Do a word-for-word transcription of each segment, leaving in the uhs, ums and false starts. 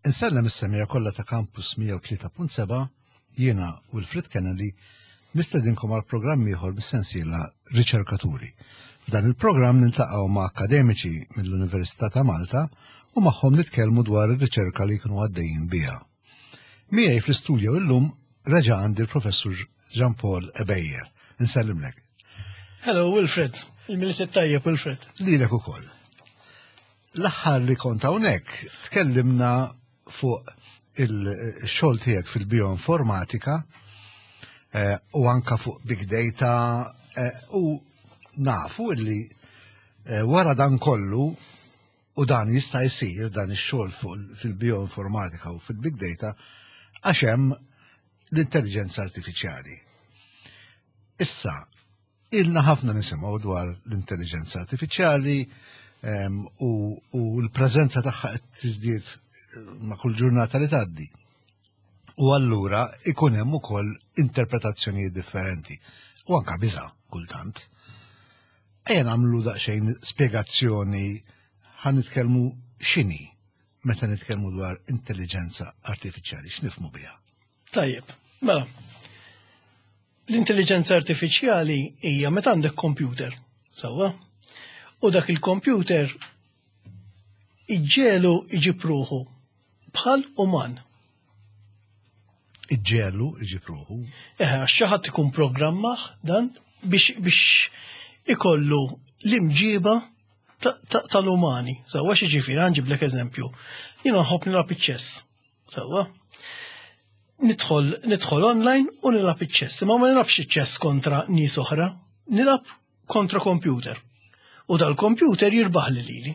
Insellem is-semmiegħa kollha ta' Campus mija u tlieta punt sebgħa. Jiena Wilfred Kennedy nistedinkom għal programm ieħor bis-sensiela Riċerkaturi. F'dan il-programm niltaqgħu ma' akademiċi mill-Università ta' Malta u magħhom nitkellmu dwar ir-riċerka li jkunu għaddejjin biha. Miegħi fl-istudio illum reġa' għandi l-Professur Jean Paul Ebejer. Insellimlek. Hello, Wilfred. Il-Milied it-tajjeb, Wilfred. Lilek ukoll. L-aħħar li kont hawnhekk tkellimna fuq il-xogħol tiegħek fil-bioinformatika eh, u anka fuq big data eh, u nafu illi eh, wara dan kollu, u dan jista' jsir dan ix-xogħol fuq fil-bioinformatika u fil-big data għax hemm l-intelligenza artifiċjali. Issa, ilna ħafna nisimgħu dwar l-intelligenza artifiċjali em, u, u l-preżenza tagħha qed tiżdied ma' kull ġurnata li tgħaddi. U allura ikun hemm ukoll interpretazzjonijiet differenti u anka biża kultant. Ejja nagħmlu daqsxejn spjegazzjoni, ħa nitkellmu x'inhi meta nitkellmu dwar intelligenza artifiċjali, x'nifhmu biha. Tajjeb, mela. L-intelligenza artifiċjali hija meta għandek computer, sewwa? U dak il-computer iġġiegħlu iġib ruħu bħal uman. Iġġiegħlu iġib ruħu. Eħe, għax xi ħadd ikun programmah dan biex biex ikollu l-imġiba tal-umani. Sewwa, xi ġifieri, ħa nġiblek eżempju. Jiena nħobb nilgħab iċ-chess. Sewwa. Nidħol nidħol online u nilgħab iċ-chess. Imma ma nilgħabx iċ-chess kontra nies oħra, nilgħab kontra computer. U dal-computer jirbaħ li lili.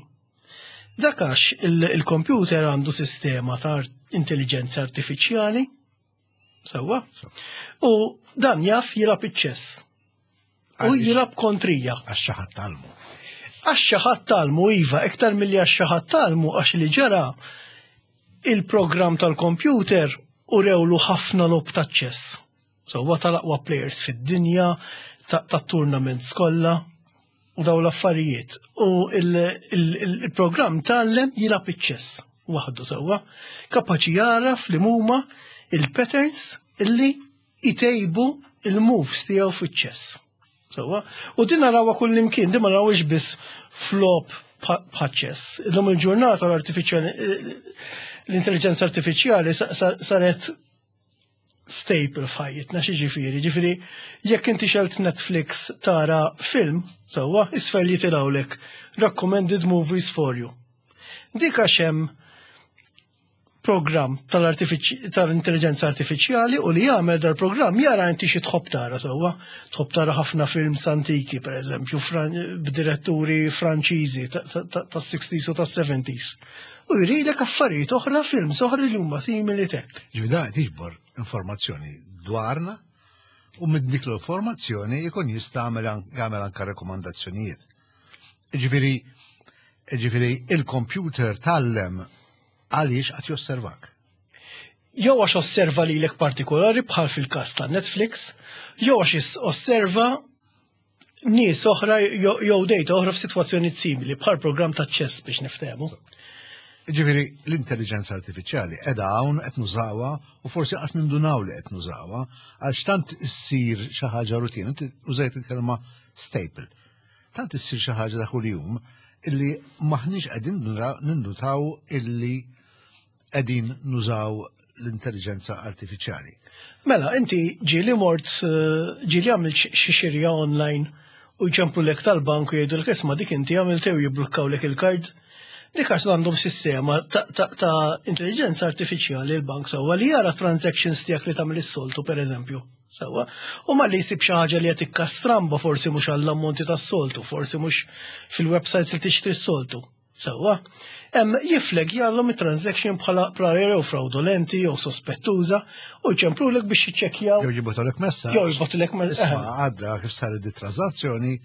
Dak għax il-computer għandu sistema ta' intelligenza artifiċjali, sewwa, u dan jaf jilgħab iċ-chess. U jilgħab kontrija. Għax xi ħadd għallmu. Għax xi ħadd għallmu, iva, iktar milli għax xi ħadd għallmu, għax li ġara, il-program tal-computer u rewlu ħafna logħob ta' chess. Sewwa, tal-aqwa players fid-dinja, ta' tournaments kollha u daw l-affarijiet. U il-programm tgħallem jilgħab iċ-chess waħdu, sewwa. Kapaċi jaraf li huma il-patterns illi itejbu il-moves tiegħu fiċ-chess. Sewwa. U din narawha kull imkien, din ma narawx biss f'logħob bħaċ-chess. Illum il-ġurnata l-artificial l-intelligenza artifiċjali saret staple f'ħajjitna. Xi ġifieri, ġifieri jekk inti xgħelt Netflix tara film, sewwa, isfel jitilgħulek "recommended movies for you". Dik għax hemm program tal-intelligenza artifiċjali u li jagħmel dal-programm jara inti xi tħobb tara, sewwa. Tħobb tara ħafna films antiki, per eżempju, b'diretturi Franċiżi tas-sixties u tas-seventies. U jridek affarijiet oħra, films oħra li huma simili tek. Ġifieri qed jiġbor informazzjoni dwarna u minn dik l-informazzjoni jkun jista' jagħmel anka rekomandazzjonijiet. Ġifieri ġifieri il-computer tgħallem għaliex qed josservak. Jew għax osserva lilek partikolari bħal fil-każ ta' Netflix, jew għax osserva nies oħra jew data oħra f'sitwazzjoni simili bħal program ta' chess, biex niftehmu. Ġifieri l-intelligenza artifiċjali qiegħda hawn, qed nużawha u forsi qas nindunaw li qed nużawha għax tant issir xi ħaġa rutina. Inti użajt il-kelma "staple". Tant issir xi ħaġa ta' kuljum illi maħniex qegħdin nindutaw illi qegħdin nużaw l-intelligenza artifiċjali. Mela, inti ġieli mort, eh, ġieli għamilt xi xirja online u jċemplulek tal-bank u jgħidu l "Isma', dik inti għamilt" u jibblukkawlek il-kard? Dik għax għandhom sistema ta', ta, ta intelligenza artifiċjali l-bank, sewwa, li jara transactions tiegħek li tagħmel is-soltu, per eżempju. Sewwa. U malli jsib xi ħaġa li qed tikka stramba, forsi mhux għall-ammonti tas-soltu, forsi mhux fil-websites li tixtri s-soltu. Sewwa. Hemm jifflagjawlhom it-transaction bħala bħala jew fraudolenti jew sospettuża u jċemplulek biex jiċċekkjaw. Jew jibagħtulek messaġġ. Jew jibagħtulek messaġġ. "Isma', għadda kif saret di transazzjoni,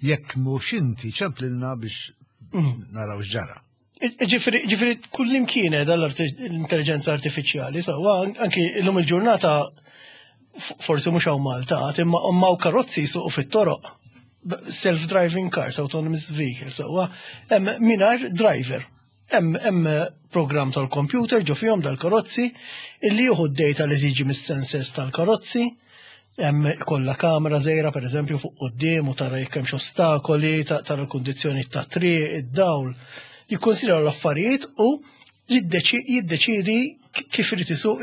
jekk mhux inti ċemplilna biex mm. naraw x'ġara." Ġifieri, ġifieri kullimkien l-intelligenza artifiċjali, sewwa, anki l-lum il-ġurnata, forsi mhux hawn Malta, imma hawn karozzi jsuqu fit-toroq. Self-driving cars, autonomous vehicles, sewwa, mingħajr driver. Hemm hemm program tal-computer ġo fihom dal-karozzi illi jieħu d-data li tiġi mis-sensors tal-karozzi, hemm kollha kamera żgħira, pereżempju, fuq quddiem u tara jekk hemmx ostakoli, tara l-kundizzjoni ta' triq, id-dawl. Jikkonsidra l-affarijiet u jiddeċidi kif irid isuq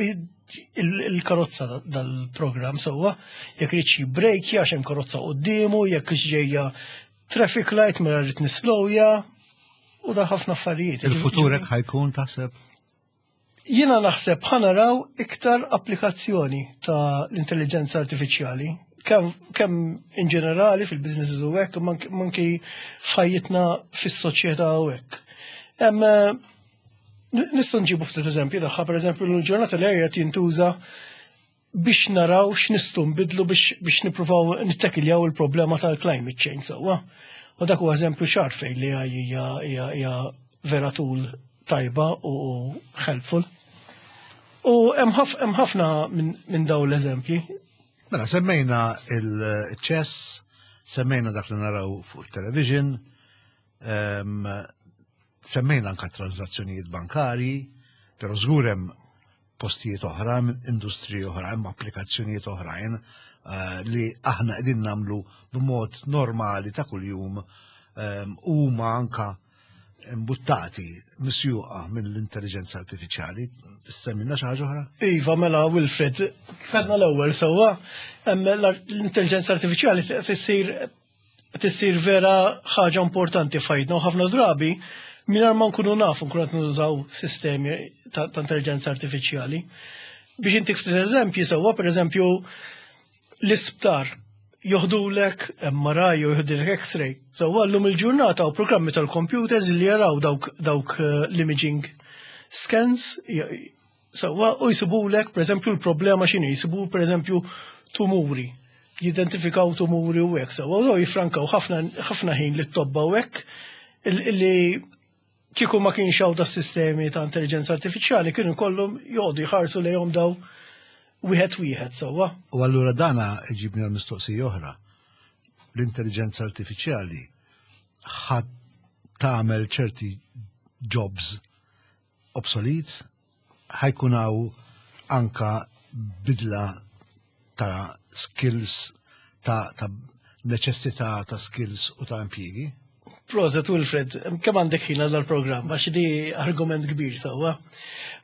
il-karozza dal-program, sewwa, jekk irid jibbrejkja għax hemm karozza quddiemu, jekk ġejja traffic light mela rrid nislowja u da ħafna affarijiet. Il-futur hekk ħa jkun, taħseb? Jiena naħseb ħa naraw iktar applikazzjoni ta' l-intelligenza artifiċjali, kemm kem in ġenerali fil-businesses u hekk, manki f'ħajjitna fis-soċjetà u hekk. Nistgħu nġibu ftit eżempji tagħha, pereżempju l-ġurnata li qed jintuża biex naraw x'nistgħu nbidlu biex biex nippruvaw nittekiljaw il-problema tal-climate change, sewwa. U dak huwa eżempju ċar fejn li hija hija vera tool tajba u helpful. U hemm ħafna minn dawn l-eżempji. Mela, semmejna il-chess, semmejna dak li naraw fuq il-television, semmejna anka transazzjonijiet bankari, pero żgur hemm postijiet oħra, industriji oħra, hemm applikazzjonijiet oħrajn eh, li aħna qegħdin nagħmlu b'mod normali ta' kuljum huma anka imbuttati, misjuqa mill-intelligenza artifiċjali. Semmilna xi ħaġa oħra? Iva, mela, Wilfred, għedna l-ewwel sewwa, l-intelligenza artifiċjali tissir tissir vera ħaġa importanti f'ħajtna u ħafna drabi mingħajr ma nkunu nafu nkunu qed nużaw sistemi ta' intelligenza artifiċjali. Biex intik ftit eżempji, sewwa, pereżempju l-isptar joħdulek M R I jew joħdulek X-ray. Sewwa, llum il-ġurnata u programmi tal-computers li jaraw dawk, dawk eh, l-imaging scans sewwa u jisibulek pereżempju l-problema x'inhi, jisibu pereżempju tumuri, jidentifikaw tumuri u hekk, sewwa, u jifrankaw ħafna ħin li t-tobba u hekk li kieku ma kienx hawn da sistemi ta' intelligenza artifiċjali kienu kollhom joqogħdu jħarsu lejhom daw wieħed wieħed, sewwa. U allura dana iġibni għal mistoqsija oħra. L-intelligenza artifiċjali ħa tagħmel ċerti jobs obsolete, ħa jkun hawn anka bidla ta' skills, ta', ta neċessità ta' skills u ta' impjiegi? Prosit, Wilfred, kemm għandek ħin għal programm għax di argument kbir, sewwa.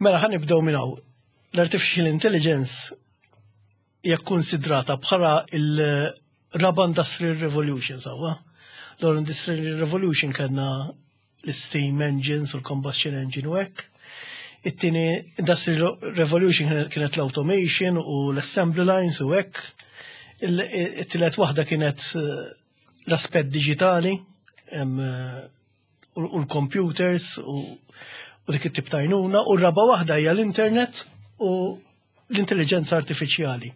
Mela, ħa nibdew minn hawn. L-artificial intelligence hija konsidrata bħala il-raba Industrial Revolution, sewwa. L-Industrial Revolution kellna l-steam engines u l-combustion engine u hekk. It-tieni Industrial Revolution kienet l-automation u l-assembly lines u hekk. Il-tielet waħda kienet eh, l-aspett digitali eh, u l-computers u dik it-tip ta' għajnuna, u r-raba waħda hija l-internet u l-intelligenza artifiċjali.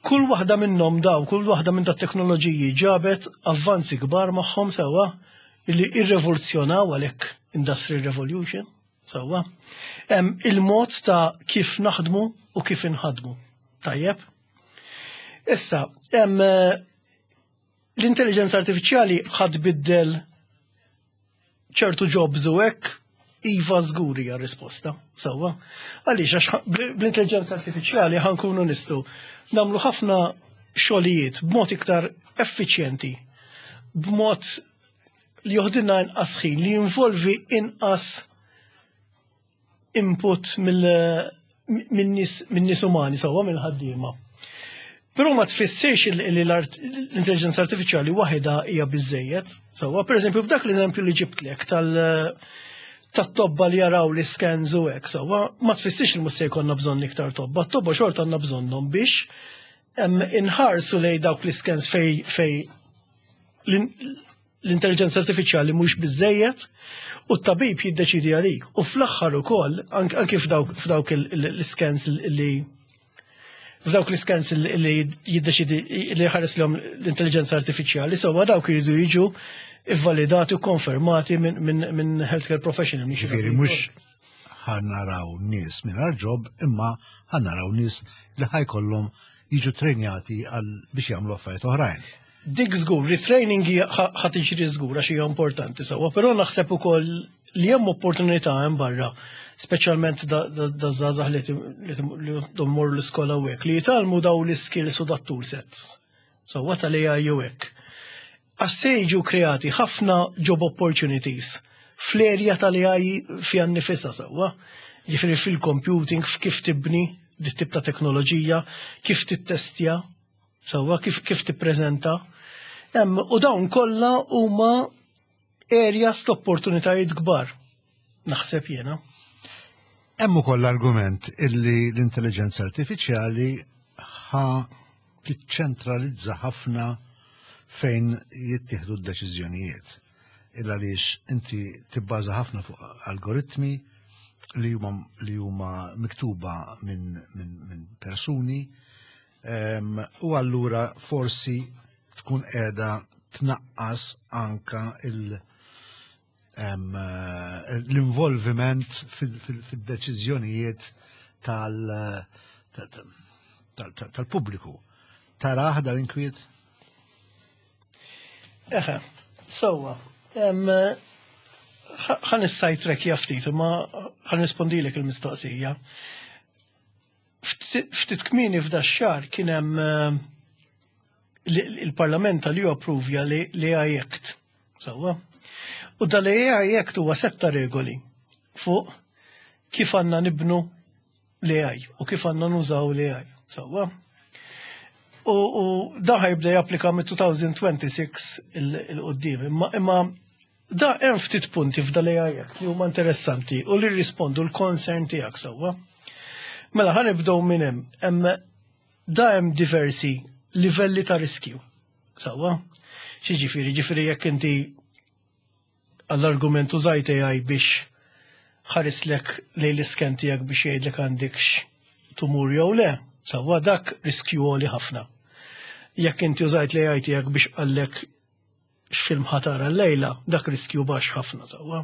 Kull waħda minnhom daw, kull waħda minn dat teknoloġiji ġabet avvanzi kbar magħhom, sewwa, illi irrevoluzzjonaw, għalhekk Industrial Revolution, sewwa. Il-mod ta' kif naħdmu u kif inħadmu. Tajjeb. Issa, l-intelligenza artifiċjali ħa tbiddel ċertu jobs u hekk? Iva, żgur hija risposta. Sewwa. Għaliex? Għax bl-intelligenza artifiċjali ħa nkunu nistgħu nagħmlu ħafna xogħlijiet b'mod iktar effiċjenti, b'mod li joħdilna inqas ħin, li jinvolvi inqas input minn nies umani, sewwa, mill-ħaddiema. Però ma tfissirx li l-intelligenza artifiċjali waħedha hija biżejjed. Sewwa, pereżempju f'dak l-eżempju li ġibtlek tal- tat-tobba li jaraw li scans u hekk, sewwa, ma tfissirx li mhux se jkollna bżonn iktar tobba. Tobba xorta għandna bżonnhom biex inħarsu lej dawk li scans fej fej l-intelligenza artifiċjali mhux biżejjed u t-tabib jiddeċidi għalik. U fl-aħħar ukoll anke f'dawk l-scans li f'dawk l-scans li jiddeċidi li ħares lejhom l-intelligenza artifiċjali, sewwa, dawk jridu jiġu ivvalidati u konfermati minn healthcare professional. Ġifieri mhux ħa naraw nies mingħajr job, imma ħa naraw nies li ħa jkollhom jiġu trenjati għal biex jagħmlu affarijiet oħrajn. Dik żgur, retraining ħa tiġri żgur għax hija importanti, sewwa, però naħseb ukoll li hemm opportunità hemm barra, speċjalment da żgħażagħ li li jmorru l-iskola u hekk, li jitgħallmu daw l-skills u dat toolsets. So what tal-A I u hekk. Għax se jiġu kreati ħafna job opportunities fl-erja tal-A I fiha nnifisha, sewwa. Jiġifieri fil-computing, kif tibni dit tip ta' teknoloġija, kif tittestja, sewwa, kif, kif tippreżenta. U dawn kollha huma areas ta' opportunitajiet kbar. Naħseb jiena. Hemm ukoll l-argument illi l-intelligenza artifiċjali ħa tiċċentralizza ħafna fejn jittieħdu d-deċiżjonijiet. Illa għaliex inti tibbaża ħafna fuq algoritmi li huma li huma miktuba minn min, min persuni um, u allura forsi tkun qiegħda tnaqqas anka il- um, l-involviment fil-deċiżjonijiet tal-pubbliku. Taraħ dal-inkwiet? Eħe, sewwa. Ħa nis-sidetrack ftit, ma ħa nirrispondilek il-mistoqsija. Ftit kmieni f'da xahar kien hemm eh, il-Parlament tal-E U approvja l-A I Act. Sewwa. U dal-A I Act huwa setta regoli fuq kif għandna nibnu l-A I u kif għandna nużaw l-A I. Sewwa. U, u da jibda japplika mit-elfejn u disgħa u għoxrin 'il quddiem. Imma, imma da hemm ftit punti f'dal-A I Act li huma interessanti u li rispondu l-concern tiegħek, sewwa. Mela ħa nibdew minn hemm. Hemm da hemm diversi livelli ta' riskju. Sewwa. Xi ġifieri, ġifieri jekk inti għall-argument użajt A I biex ħarislek lejn l-iscan tiegħek biex jgħidlek għandekx tumur jew le, sewwa, dak riskju għoli ħafna. Jekk inti użajt l-A I tiegħek biex qallek x'film ħa tara llejla, dak riskju baxx ħafna, sewwa.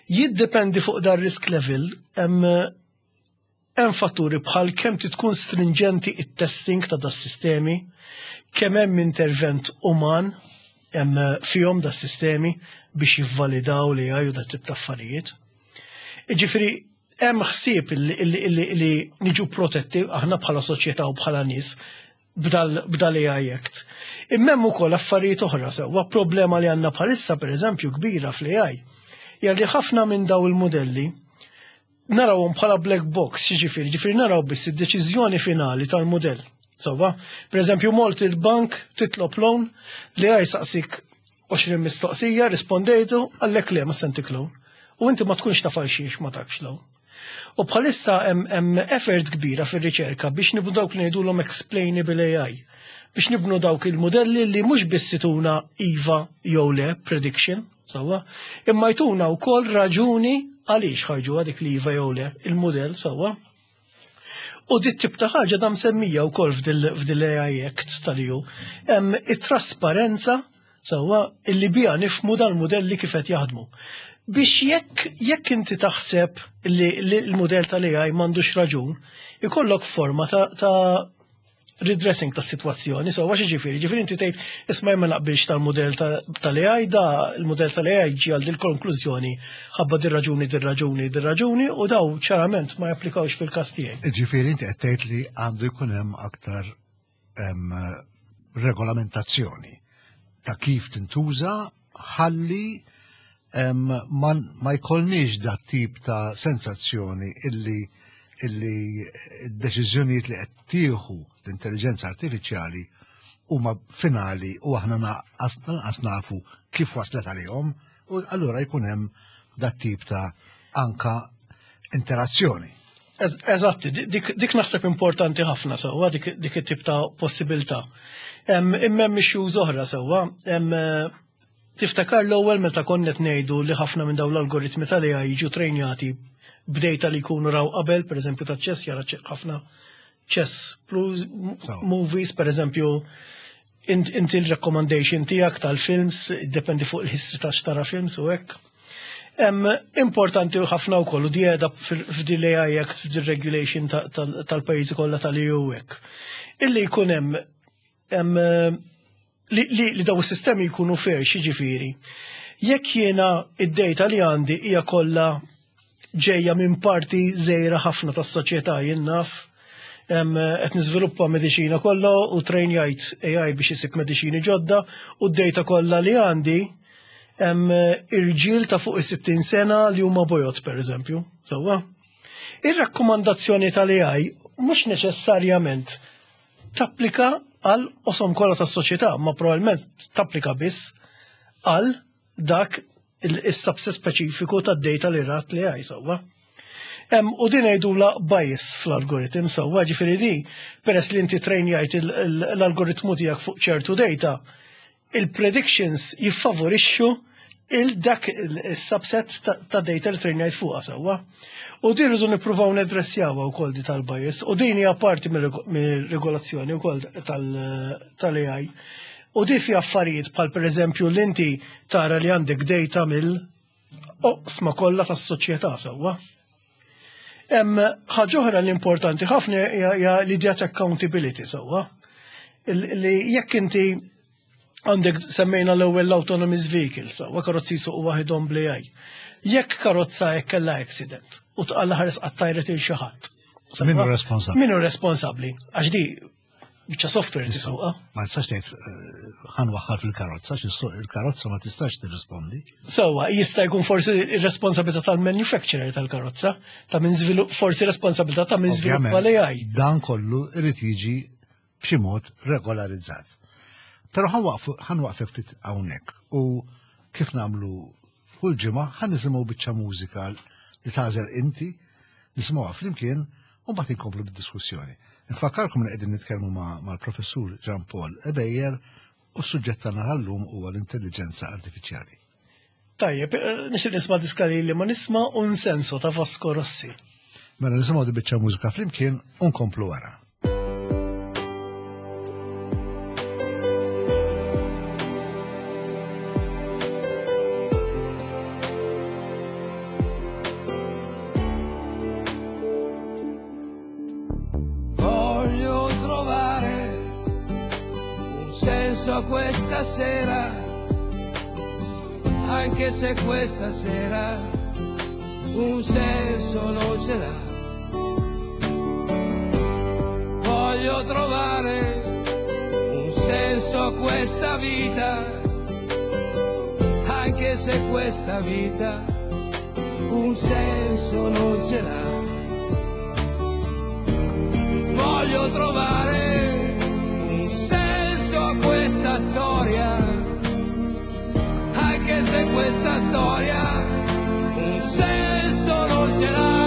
Jiddependi fuq dar risk level, hemm hemm fatturi bħal kemm tkun stringenti it-testing ta' das sistemi, kemm hemm intervent uman hemm fihom das sistemi biex jivvalidaw li għaju dat tip ta' affarijiet. Ġifieri, hemm ħsieb li niġu protetti aħna bħala soċjetà u bħala nies b'dal A I Act. Imma hemm ukoll affarijiet oħra, sewwa, problema li għandna bħalissa, pereżempju, kbira fl-A I. Hija li ħafna minn daw il-modelli narawhom bħala black box, ġifieri, ġifieri naraw biss id-deċiżjoni finali tal-modell. Sewwa, per eżempju, mort il-bank titlob loan, li A I saqsik għoxrin mistoqsija, rispondejtu, qallek le, ma ntik loan. U inti ma tkunx taf għalxiex ma takx loan. U bħalissa hemm effort kbira fir-riċerka biex nibnu dawk li ngħidulhom explainable A I. Biex nibnu dawk il-modelli li mhux biss jtuna iva jew le prediction, sewwa, imma jtuna wkoll raġuni għaliex ħarġu dik li iva jew le il-modell, sewwa. U dit tip ta' ħaġa dam semmija wkoll f'dil A I Act tal-E U. Hemm it-trasparenza, sewwa, illi bija nifhmu dal-modelli kif qed jaħdmu. Biex jekk jekk inti taħseb li l-modell tal-A I m'għandux raġun, ikollok forma ta', ta redressing ta' situazzjoni. So għax ġifieri, ġifieri inti tgħid, "Isma', ma naqbilx tal-modell tal-A I, da il-modell tal-A I ġi għal dil-konklużjoni ħabba dir raġuni, dir raġuni, dir raġuni u daw ċarament ma japplikawx fil-każ tiegħi." Ġifieri inti qed tgħid li għandu jkun hemm aktar em, regolamentazzjoni ta' kif tintuża ħalli em, ma, ma jkollniex dat tip ta' sensazzjoni illi illi d-deċiżjonijiet li qed tieħu l-intelligenza artifiċjali huma finali u aħna naqas lanqas nafu kif waslet għalihom u allura jkun hemm dat tip ta' anka interazzjoni. Ez- Eżatti, dik, dik naħseb importanti ħafna, sewwa, dik, dik it-tip ta' possibilità. Imma hemm issues oħra, sewwa. Hemm, eh, Tiftakar l-ewwel meta konna qed ngħidu li ħafna minn dawn l-algoritmi tal-A I jiġu trejnjati b'data li jkunu raw qabel, per eżempju ta' chess, jara ċe- ħafna chess plus So. movies, per eżempju, int- inti l-recommendation tiegħek tal-films, dependi fuq il-history ta' xtara films u hekk. Em, importanti ħafna wkoll u di qiegħda f'dil A I Act, f'dil regulation ta- tal- tal-pajjiżi kollha tal-E U hekk. Illi jkun hemm em, li, li, li daw is-sistemi jkunu fair, xiġifieri. Jekk jiena id-data li għandi hija kollha ġejja minn parti żgħira ħafna tas-soċjetà, jien naf qed niżviluppa mediċina kollha u trainjajt A I biex isib mediċini ġodda u d-data kollha li għandi irġiel ta' fuq is-sittin sena li huma bojod, pereżempju. Sewwa. Ir-rakkomandazzjoni tal-A I mhux neċessarjament tapplika għal oqsma kollha tas-soċjetà, ma probabbilment tapplika biss għal dak il-subset speċifiku tad-data li rat l-A I, sewwa. U din jgħidulha bias fl-algoritm, sewwa, ġifieri di, peress li inti trainjajt l-algoritmu tiegħek fuq ċertu data, il-predictions jiffavorixxu il-dak il-subset ta' data li trainjajt fuqha, sewwa. U din rridu nippruvaw nedressjawha wkoll di tal-bias u din hija parti mir-regolazzjoni wkoll tal-A I. U di fi affarijiet bħal pereżempju l-inti tara li għandek data mill-oqsma kollha tas-soċjetà, sewwa. Hemm ħaġa oħra li importanti ħafna hija l-idea ta' accountability, sewwa. Li jekk inti għandek, semmejna l-ewwel l-autonomous vehicles, sewwa, karozzi jsuqu waħedhom bl-A I. Jekk karozza jekk kellha accident u tqalla ħares qattajret il xi ħadd. Min hu responsabbli? Min hu responsabbli? Għax di biċċa software tisuqha. Ma tistax tgħid eh, ħa nwaħħal fil-karozza, il-karozza ma tistax tirrispondi. Sewwa, jista' jkun forsi ir-responsabilità tal-manufacturer tal-karozza, ta' min żvilupp, forsi responsabilità ta' min żviluppa l-A I. Dan kollu irid jiġi b'xi mod regolarizzat. Però ħa nwaqfek ftit hawnhekk u kif nagħmlu kull ġimgħa ħa nisimgħu biċċa mużika li tagħżel inti, nisimgħuha flimkien u mbagħad inkomplu bid-diskussjoni. Nfakkarkom li qegħdin nitkellmu mal-professur Jean Paul Ebejer u s-suġġett tagħna llum huwa l-intelligenza artifiċjali. Tajjeb, eh, nixtieq nisma' diska li ma nisma' Un Senso ta' Vasco Rossi. Mela nisimgħu di biċċa mużika flimkien u nkomplu wara. Voglio trovare un senso a questa sera, anche se questa sera un senso non ce l'ha. Voglio trovare un senso a questa vita, anche se questa vita un senso non ce l'ha. Voglio trovare un senso a questa storia, anche se questa storia un senso non ce l'ha.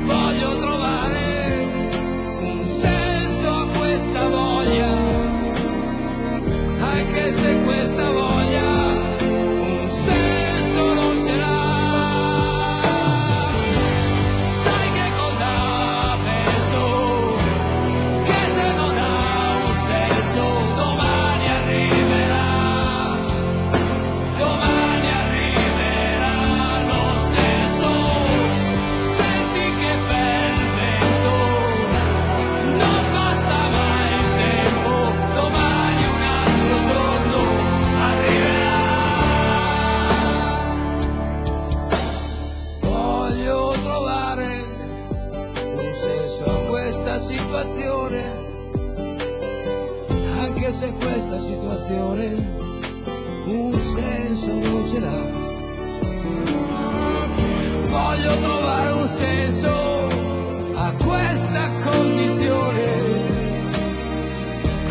Voglio trovare un senso a questa voglia, anche se questa voglia un senso non ce l'ha. Sai che cosa penso? Che se non ha un senso domani arriverà, domani arriverà lo stesso. Senti che bel vento, non basta mai il tempo, domani un altro giorno arriverà. Voglio trovare un senso a questa situazione, anche se questa situazione un senso non ce l'ha. Voglio trovare un senso a questa condizione,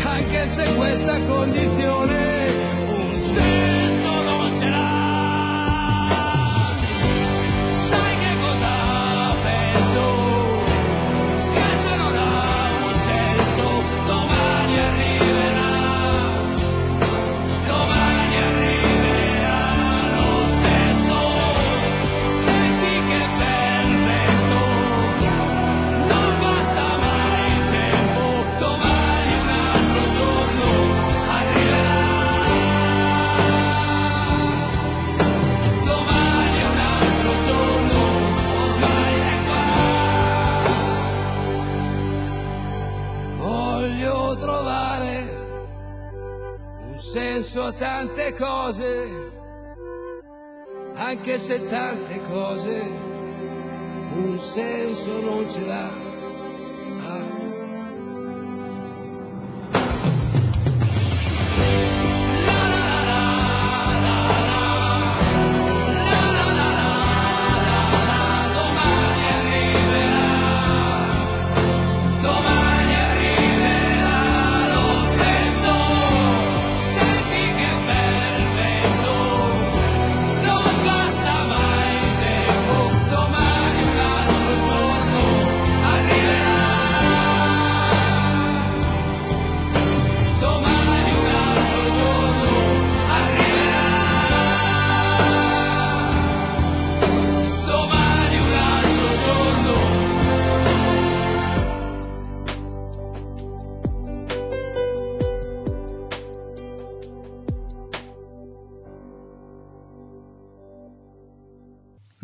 anche se questa condizione un senso non ce l'ha. Sai che cosa penso? Che se non ha un senso domani arriverà, domani arriverà lo stesso. Senti che bel vento, non basta mai il tempo, domani un altro giorno arriverà. senso a tante cose, anche se tante cose un senso non ce l'ha. Ah.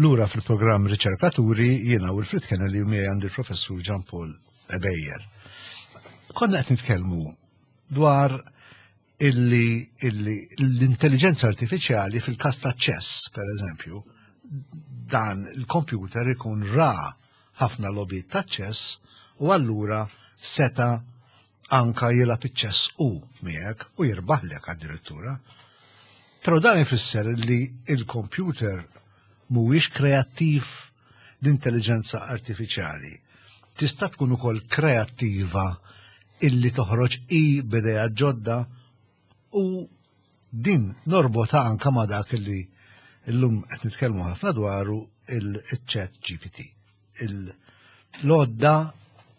Lura fil-programm Riċerkaturi jiena Wilfred Kennelly u miegħi għandi l-Professur Jean Paul Ebejer. Konna qed nitkellmu dwar illi, illi l-intelligenza artifiċjali fil-każ ta' chess, per eżempju, dan il-computer ikun ra ħafna logħbiet ta' chess u allura seta anka jilgħab iċ-chess u miegħek u jirbaħlek addirittura. Però dan ifisser li il-computer mhuwiex kreattiv. L-intelligenza artifiċjali tista' tkun ukoll kreattiva illi toħroġ i b'idea ġodda, u din norbota anka ma' dak illi illum qed nitkellmu ħafna dwaru, il-Chat G P T. L-għodda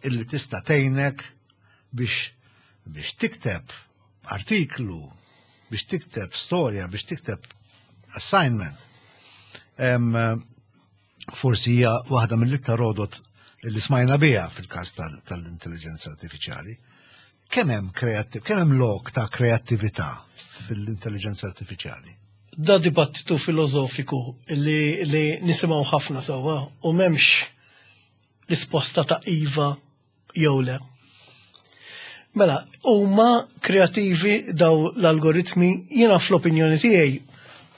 illi tista' tgħinek biex biex tikteb artiklu, biex tikteb storja, biex tikteb assignment. Em, forsi hija waħda mill-iktar għodod li smajna biha fil-każ tal-intelligenza artifiċjali. Kemm hemm kreattiv, kemm hemm lok ta' kreattività fil-intelligenza artifiċjali? Da dibattitu filosofiku li, li nisimgħu ħafna sewwa u m'hemmx risposta ta' iva jew le. Mela, huma kreativi daw l-algoritmi? Jiena fl-opinjoni tiegħi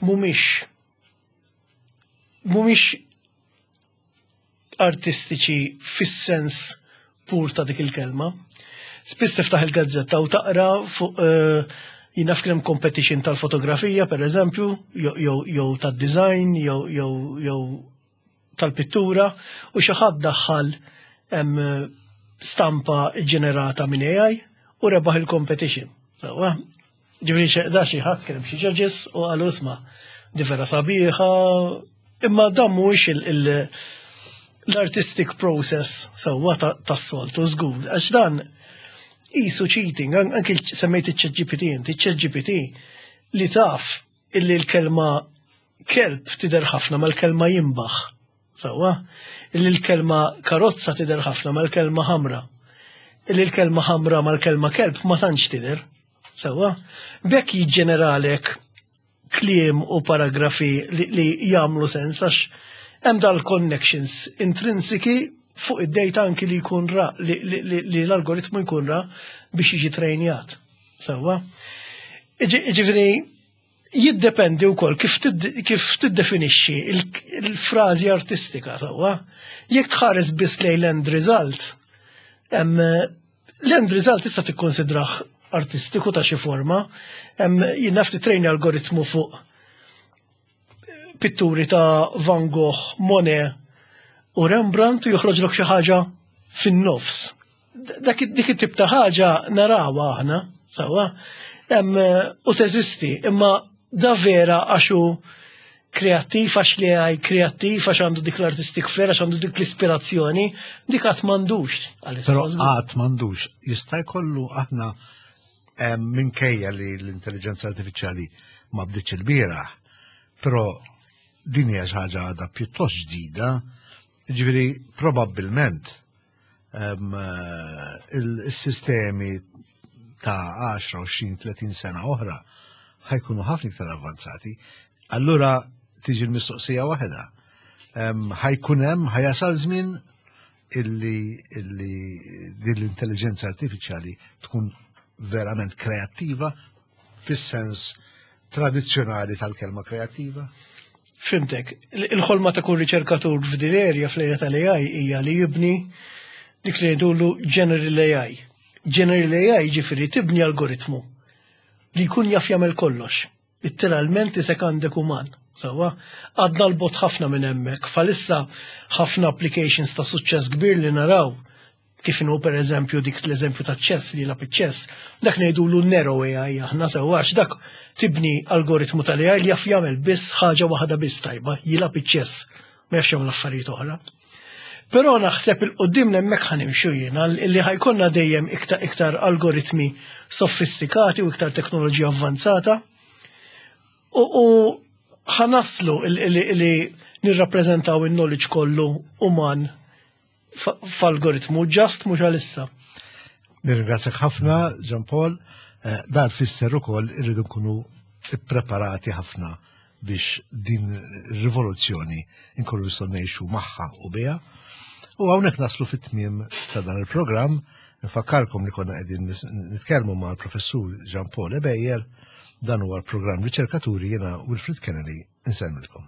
mhumiex mhumiex artistiċi fis-sens pur ta' dik il-kelma. Spiss tiftaħ il-gazzetta u taqra fuq uh, jien naf kien competition tal-fotografija, per eżempju, jew jew tad-design, jew jew jew tal-pittura, u xi ħadd daħħal stampa ġenerata minn A I u rebaħ il-competition. Sewwa, ġifieri da xi ħadd kien hemm xi judges u qalu, "Isma', di vera sabiħa," imma dan mhuwiex l-artistic process sewwa tas-soltu żgur, għax dan qisu cheating. Anki semmejt iċ-Chat G P T inti, iċ-Chat G P T li taf illi l-kelma kelb tidher ħafna mal-kelma jimbaħ. Sewwa, illi l-kelma karozza tidher ħafna mal-kelma ħamra. Illi l-kelma ħamra mal-kelma kelb ma tantx tidher. Sewwa, bekk jiġġeneralek kliem u paragrafi li, li jagħmlu sens għax hemm dal-connections intrinsiki fuq id-data anki li jkun ra, li, li, li, li l-algoritmu jkun ra biex jiġi trejnjat. Sewwa. Ġifieri, jiddependi wkoll kif, kif tiddefinixxi il-frażi artistika, sewwa. Jekk tħares biss lejn l-end result, l-end result tista' tikkonsidrah artistiku ta' xi forma. Jien naf titrejni algoritmu fuq pitturi ta' Van Gogh, Monet u Rembrandt u joħroġlok xi ħaġa fin-nofs. Dak dik it-tip ta' ħaġa narawha aħna, sewwa, u teżisti, imma da vera għax hu kreattiv, għax li għaj kreattiv, għax għandu dik l-artistic flair, għax għandu dik l-ispirazzjoni, dik għad m'għandux. Però għad m'għandux, jista' jkollu. Aħna minkejja li l-intelligenza artifiċjali ma bdietx il-bieraħ, però din hija xi ħaġa għadha pjuttost ġdida, ġifieri probabbilment il-sistemi ta' għaxra, għoxrin, tletin sena oħra ħa jkunu ħafna iktar avvanzati. Allura tiġi l-mistoqsija waħda. Ħa jkun hemm, ħa jasal żmien illi, illi din l-intelligenza artifiċjali tkun verament kreattiva fis-sens tradizzjonali tal-kelma kreattiva? Fhimtek, il-ħolma ta' kull riċerkatur f'din l-area, fl-area tal-A I, hija li jibni dik li jgħidulu General A I. General A I ġifieri tibni algoritmu li jkun jaf jagħmel kollox. Literalment isek għandek uman. Sewwa, għadna 'l bogħod ħafna minn hemmhekk. Bħalissa ħafna applications ta' suċċess kbir li naraw, kif inhu per eżempju dik l-eżempju ta' chess li jilgħab chess, dak ngħidulu narrow A I aħna, sewwa, għax dak tibni algoritmu tal-A I li jaf jagħmel biss ħaġa waħda biss tajba, jilgħab chess, ma jafx jagħmel affarijiet oħra. Però naħseb 'il quddiem hemmhekk ħa nimxu jiena, li ħa jkollna dejjem iktar iktar algoritmi sofistikati u iktar teknoloġija avvanzata. U, u ħa naslu li nirrappreżentaw il-knowledge kollu uman f'algoritmu, just mhux għalissa. Nirringrazzjak ħafna, Jean Paul. Eh, dan fisser ukoll irridu nkunu ippreparati ħafna biex din ir-rivoluzzjoni nkunu nistgħu ngħixu magħha u biha. U hawnhekk naslu fit-tmiem ta' dan il-programm. Nfakkarkom li konna qegħdin nitkellmu mal-professur Jean Paul Ebejer. Dan huwa l-programm Riċerkaturi. Jiena Wilfred Kennedy, insellmilkom.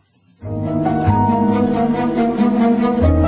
Thank you.